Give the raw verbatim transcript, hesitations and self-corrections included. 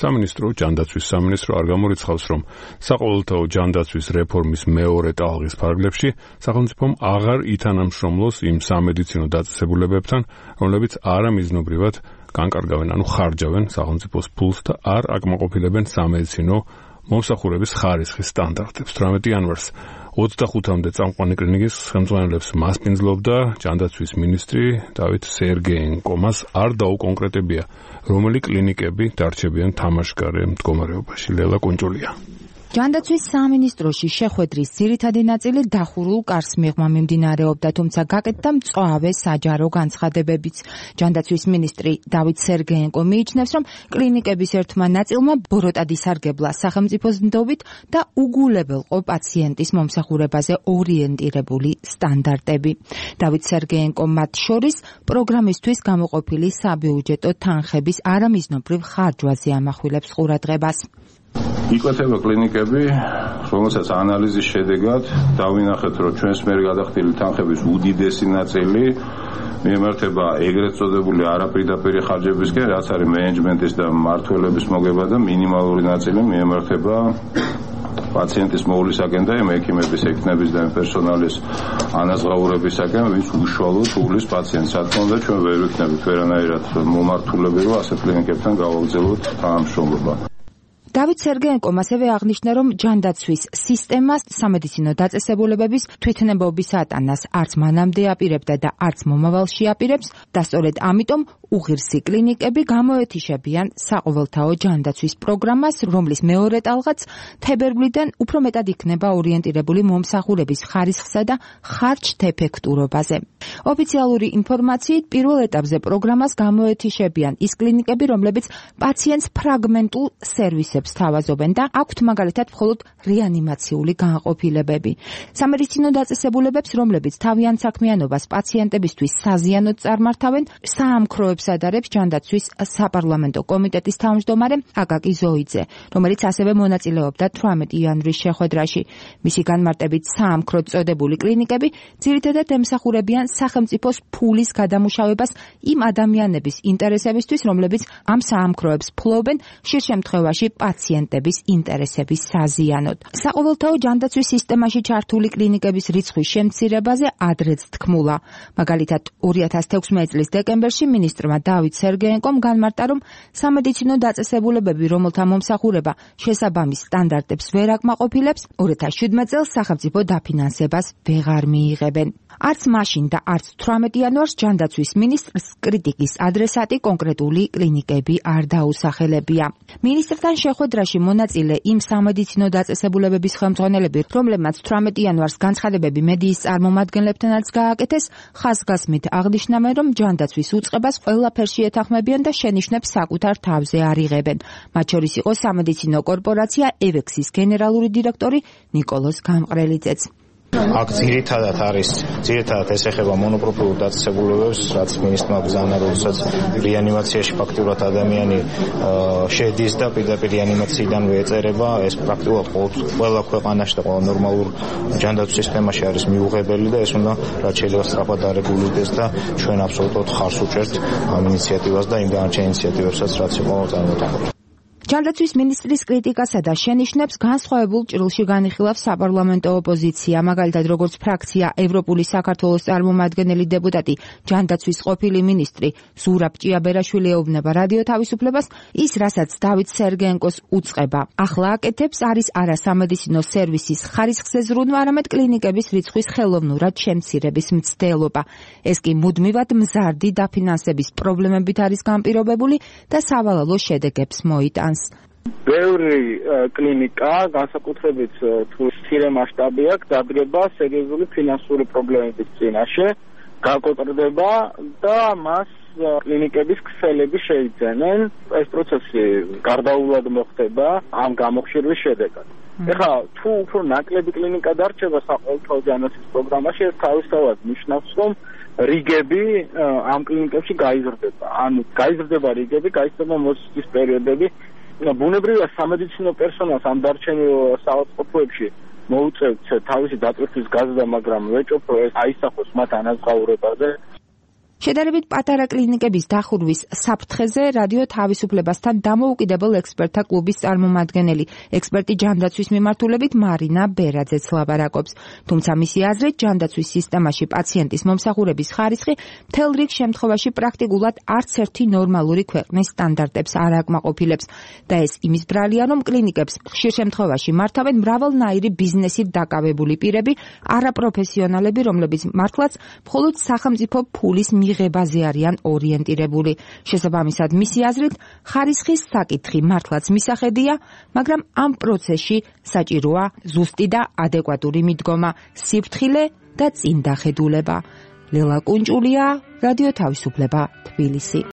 სამინისტრო, ჯანდაცვის სამინისტრო არ გამორიცხავს, რომ საყოველთაო ჯანდაცვის რეფორმის მეორე ტალღის ფარგლებში სახელმწიფომ აღარ ითანამშრომლოს იმ სამედიცინო დაწესებულებებთან, რომლებიც არამიზნობრივად განკარგავენ, ანუ ხარჯავენ სახელმწიფოს ფულს და არ აკმაყოფილებენ სამედიცინო მომსახურების ხარისხის სტანდარტებს. თვრამეტი იანვარს ოცდახუთამდე წამყვანი კლინიკის ხელმძღვანელებს მასპინძლობდა ჯანდაცვის მინისტრი დავით სერგეენკო. მას არ დაუკონკრეტებია, რომელი კლინიკები დარჩებიან თამაშგარე მდგომარეობაში. ლელა კუნჭულია. ჯანდაცვის სამინისტროში შეხვედრის ძირითადი ნაწილი დახურულ კარს მიღმა მიმდინარეობდა, თუმცა გაკეთდა მწვავე საჯარო განცხადებებიც. ჯანდაცვის მინისტრი დავით სერგეენკო მიიჩნევს, რომ კლინიკების ერთმა ნაწილმა ბოროტად ისარგებლა სახელმწიფოს ნდობით და უგულებელყო პაციენტის მომსახურებაზე ორიენტირებული სტანდარტები. დავით სერგეენკო მათ შორის პროგრამისთვის გამოყოფილი საბიუჯეტო თანხების არამიზნობრივ ხარჯვაზე ამახვილებს ყურადღებას. იკვეთება კლინიკები, რომელსაც ანალიზის შედეგად დავინახეთ, რომ ჩვენს მიერ გადახდილი თანხების უდიდესი ნაწილი მიემართება ეგრეთ წოდებული არაპირდაპირი ხარჯებისკენ, რაც არის მენეჯმენტის და მმართველების მოგება და მინიმალური ნაწილი მიემართება პაციენტის მოვლისაკენ და ექიმების, ექნების და პერსონალის ანაზღაურებისაკენ, ვინც უშუალოდ უვლის პაციენტს. რა თქმა უნდა, ჩვენ ვერ ვიქნებით ვერანაირად მომართულები, რომ ასეთ კლინიკებთან გავაგრძელოთ თანამშრომლობა. დავით სერგეენკომ ასევე აღნიშნა, რომ ჯანდაცვის სისტემას სამედიცინო დაწესებულებების თვითნებობის ატანას არც მანამდე აპირებდა და არც მომავალში აპირებს და სწორედ ამიტომ უღირსი კლინიკები გამოეთიშებიან საყოველთაო ჯანდაცვის პროგრამას, რომლის მეორე ტალღაც თებერვლიდან უფრო მეტად იქნება ორიენტირებული მომსახურების ხარისხსა და ხარჯთეფექტურობაზე. ოფიციალური ინფორმაციით პირველ ეტაპზე პროგრამას გამოეთიშებიან ის კლინიკები, რომლებიც პაციენტს ფრაგმენტულ სერვისებს თავაზობენ და აქვთ მაგალითად მხოლოდ რეანიმაციული განყოფილებები. სამედიცინო დაწესებულებებს, რომლებიც თავიანთ საქმიანობას პაციენტებისთვის საზიანოდ წარმართავენ, საამქროებს ადარებს ჯანდაცვის საპარლამენტო კომიტეტის თავმჯდომარე აკაკი ზოიძე, რომელიც ასევე მონაწილეობდა თვრამეტი იანვრის შეხვედრაში. მისი განმარტებით საამქროდ წოდებული კლინიკები ძირითადად ემსახურებიან სახელმწიფოს ფულის გადამუშავებას იმ ადამიანების ინტერესებისთვის, რომლებიც ამ საამქროებს ფლობენ, ხშირ შემთხვევაში პაციენტების ინტერესების საზიანოდ. საყოველთაო ჯანდაცვის სისტემაში ჩართული კლინიკების რიცხვის შემცირებაზე ადრეც თქმულა. მაგალითად, ორი ათას თექვსმეტი წლის დეკემბერში მინისტრმა დავით სერგეენკომ განმარტა, რომ სამედიცინო დაწესებულებები, რომელთა მომსახურება შესაბამის სტანდარტებს ვერ აკმაყოფილებს, ორი ათას შვიდმეტ წელს სახელმწიფო დაფინანსებას ვეღარ მიიღებენ. არც მაშინ და არც თვრამეტი იანვარს ჯანდაცვის მინისტრს კრიტიკის ადრესატი კონკრეტული კლინიკები არ დაუსახელებია. მინისტრთან შეხვედრაში მონაწილე იმ სამედიცინო დაწესებულებების ხელმძღვანელები, რომლებმაც თვრამეტი იანვარს განცხადებები მედიის წარმომადგენლებთანაც გააკეთეს, ხაზგასმით აღნიშნავენ, რომ ჯანდაცვის უწყებას ყველაფერში ეთანხმებიან და შენიშვნებს საკუთარ თავზე არ იღებენ. მათ შორის იყო სამედიცინო კორპორაცია ევექსის გენერალური დირექტორი ნიკოლოზ გამყრელიძეც. აქ ძირითადად არის, ძირითადად ეს ეხება მონოპროფილურ დაწესებულებებს, რაც მინისტრმა ბრძანა, როდესაც რეანიმაციაში ფაქტურად ადამიანი შედის და პირდაპირ რეანიმაციიდანვე ეწერება, ეს პრაქტიკულად ყველა ქვეყანაში და ყველა ნორმალურ ჯანდაცვის სისტემაში არის მიუღებელი და ეს უნდა რაც შეიძლება სწრაფად დარეგულირდეს და ჩვენ აბსოლუტურად ხარს უჭერთ ამ ინიციატივას და იმ დანარჩენ ინიციატივებსაც, რაც იყო წარმოტანილი. ჯანდაცვის მინისტრის კრიტიკასა და შენიშვნებს განსხვავებულ ჭრილში განიხილავს საპარლამენტო ოპოზიცია, მაგალითად როგორც ფრაქცია ევროპული საქართველოს წარმომადგენელი დეპუტატი ჯანდაცვის ყოფილი მინისტრი ზურაბ ჭიაბერაშვილი ეუბნება რადიო თავისუფლებას, ის რასაც დავით სერგეენკოს უწყება ახლა აკეთებს, არის არა სამედიცინო სერვისის ხარისხზე ზრუნვა, არამედ კლინიკების რიცხვის ხელოვნურად შემცირების მცდელობა. ეს კი მუდმივად მზარდი დაფინანსების პრობლემებით არის განპირობებული და სავალალო შედეგებს მოიტანს. ბევრი კლინიკა, განსაკუთრებით თუ მცირე მასშტაბი აქვს, დადგება სერიოზული ფინანსური პრობლემების წინაშე, გაკოტრდება და მას კლინიკების ქსელები შეიძენენ. ეს პროცესი გარდაუვლად მოხდება ამ გამოხშირვის შედეგად. ეხლა თუ უფრო ნაკლები კლინიკა დარჩება საყოველთაო ჯანდაცვის პროგრამაში, ეს თავისთავად ნიშნავს, რომ რიგები ამ კლინიკებში გაიზრდება. ანუ გაიზრდება რიგები, გაიზრდება მოსვლის პერიოდები. ბუნებრივია სამედიცინო პერსონალს ამ დარჩენილ საავადმყოფოებში მოუწევთ თავისი დატვირთვის გაზრდა, მაგრამ ვეჭობ, რომ ეს აისახოს მათ ანაზღაურებაზე. შედარებით პატარა კლინიკების დახურვის საფრთხეზე რადიო თავისუფლებასთან დამოუკიდებელ ექსპერტთა კლუბის წარმომადგენელი, ექსპერტი ჯანდაცვის მიმართულებით მარინა ბერაძეც ლაბარაკობს. თუმცა მისი აზრით, ჯანდაცვის სისტემაში პაციენტის მომსახურების ხარისხი მთელ რიგ შემთხვევაში პრაქტიკულად არც ერთი ნორმალური ქვეყნის სტანდარტებს არ აკმაყოფილებს და ეს იმის ბრალია, რომ კლინიკებს ხშირ შემთხვევაში მართავენ მრავალნაირი ბიზნესით დაკავებული პირები, არაპროფესიონალები, რომლებიც მართლაც მხოლოდ სახელმწიფო ფულის მიღებაზე არიან ორიენტირებული. შესაბამისად, მისი აზრით, ხარისხის საკითხი მართლაც მისახედია, მაგრამ ამ პროცესში საჭიროა ზუსტი და ადეკვატური მიდგომა, სიფრთხილე და წინდახედულება. ლელა კუნჭულია, რადიო თავისუფლება, თბილისი.